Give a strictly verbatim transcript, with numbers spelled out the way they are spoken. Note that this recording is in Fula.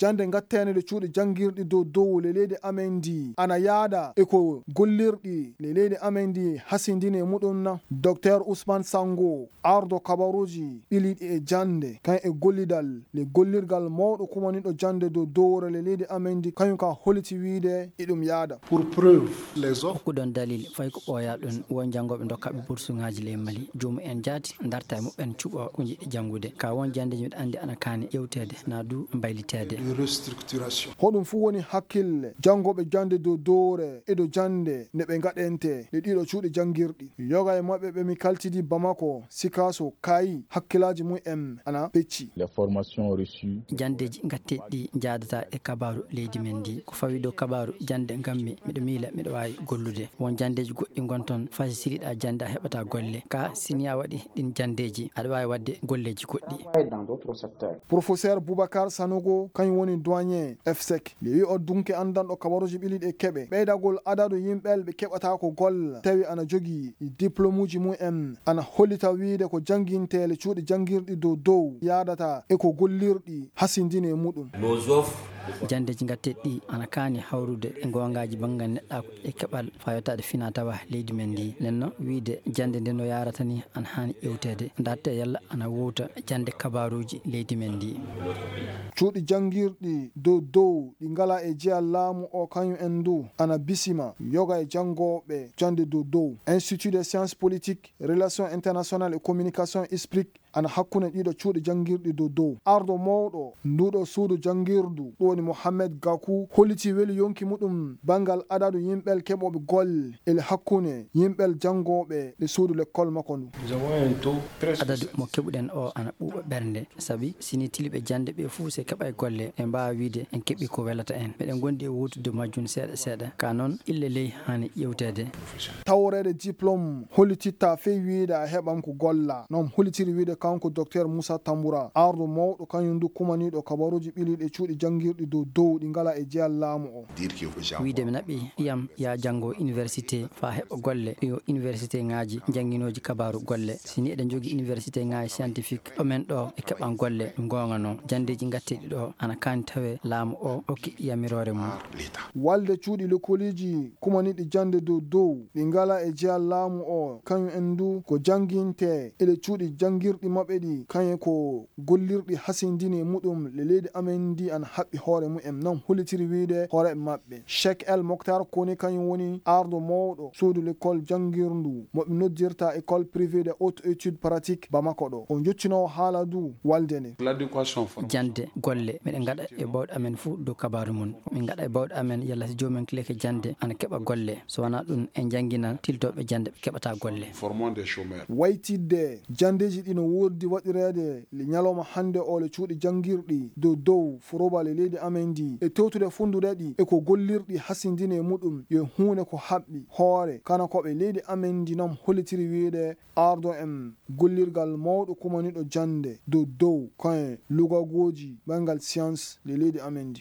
jannde ngatteende ɗo cuuɗi janngirɗi dow dow le leydi amen ndi ana yaada e ko gollirɗi le leydi amen ndi hasindini e muɗum na? Docteur Ousmane Sango, ardo kabaruuji ɓiliiɗi e jannde kan e gollidal le gollirgal mawɗo kumaniiɗo jannde dow dowre le leydi amen ndi, kañum ka holiti wiide iɗum yaada. Pour preuve, les offres. Hokkuɗon dalil fay ko ɓooyaa ɗum, won janngooɓe ndokkaaɓe bursuŋaaji ley Mali, joomum en jaati ndarta e muɓɓen cuɓoo ko njiɗi janngude. Ka won janndeeji miɗo anndi ana kaani ƴewteede, naa du mbayliteede. De restructuration. Hoɗum fuu woni hakkille janngooɓe jannde dow dowre e dow jannde nde ɓe ngaɗente ɗe ɗiɗo cuuɗi janngirɗi. Yoga e maɓɓe ɓe mi kaltidi Bamako, Sikaso, Kayi, hakkillaaji mum en ana pecci. Les formations reçues. Janndeeji ngatteeɗi ɗi njaadata e kabaaru leydi men ndi. Ko fawi dow kabaaru jannde ngammi, miɗo miila miɗo waawi gollude. Won janndeeji goɗɗi ngon toon, fay si siliɗaa jannde a heɓataa golle. Ka sini a waɗi ɗin janndeeji, aɗa waawi waɗde golleeji goɗɗi. Professeur Boubacar Sanogo, kañum woni doyen efsec. Nde wi'o dunke anndanɗo kabaruuji ɓiliiɗi e keɓe. Ɓeydagol adadu yimɓe ɓe keɓataa ko golla, tawi ana jogii diplomuuji mum en, ana hollita wiide ko jannginteele cuuɗi janngirɗi dow dow yaadata e ko gollirɗi hasindini e muɗum. Nos offres. Janndeeji ngatteeɗi ɗi ana kaani hawrude e goongaaji banngal neɗɗaaku e keɓal faayotaade finaa tawa leydi men ndi. Nenno wiide jannde nde no yaarata ni ana haani ƴewteede. Ndaarte yalla ana wowta jannde kabaaruuji leydi men ndi. Cuuɗi janngirɗi dow dow ɗi ngalaa e jeyal laamu o kañum en ndu ana bisima yoga e janngooɓe jannde dow dow. Institut des sciences politiques, relations internationales et communication, isprik, ana hakkunde ɗiɗo cuuɗi janngirɗi dow dow. Ardo mawɗo nduɗo suudu janngirdu, ɗum woni Mohamed Gakou, holliti weli yonki muɗum banngal adadu yimɓe keɓooɓe golle ele hakkunde yimɓe janngooɓe ɗe suudu lekkol makko ndu. Adadu mo keɓuɗen o ana ɓuuɓa ɓernde, sabi sini tiliɓe jannde ɓe fuu se keɓay golle, en mbaawa wiide en keɓi ko welata en. Meɗen ngondi e wootude majjum seeɗa seeɗa. Ka noon, ille ley haani ƴewteede. Tawreede diplôme hollititta fey wiide a heɓan ko golla. Noon hollitiri wiide kanko Docteur Moussa Tamboura, ardo mawɗo kañum ndu kumaniiɗo kabaruuji ɓiliiɗi e cuuɗi janngirɗi dow dow ɗi ngalaa e jeyal laamu o. Wiide mi naɓi ɓiyam ya janngo université faa heɓa golle, yo université ŋaaji jannginooji kabaaru golle. Si ni eɗen njogii université ŋaaji scientifique, ɗo men ɗo e keɓan golle ɗum goonga noon. Janndeeji ngatteeɗi ɗo ana kaani tawee laamu o okki yamiroore mum. Walde cuuɗi lekoliiji kumaniiɗi jannde dow dow ɗi ngalaa e jeyal laamu o, kañum en ndu ko jannginte ele cuuɗi janngirɗi maɓɓe ɗi, kañum ko gollirɗi hasindini e muɗum le leydi amen ndi ana haɓɓi hoore mum en, noon hollitiri wiide hooreeɓe maɓɓe. Cheikh El Mokhtar Kone kañum woni ardo mawɗo suudu l'école janngirndu mo ɓe noddirta école privée de haute étude pratique Bamako ɗo. O jottinoowo haala ndu walde nde. Jannde golle, miɗen ngaɗa e baawɗe amen fuu dow kabaaru mum. Min ngaɗa e baawɗe amen yalla si joomen kileke jannde ana keɓa golle. So wanaa ɗum en njannginan tiltooɓe jannde ɓe keɓataa golle. Waytidde janndeeji ɗi no woodi waɗireede le ñalawma hannde o le cuuɗi janngirɗi dow dow foroba le leydi amen ndi e tewtude funndude ɗi e ko gollirɗi hasindini e muɗum yo huunde ko haɓɓi hoore kana ko ɓe leydi amen ndi noon hollitiri wiide ardo en gollirgal mawɗo kumaniiɗo jannde dow dow koye lugagooji banngal science le leydi amen ndi.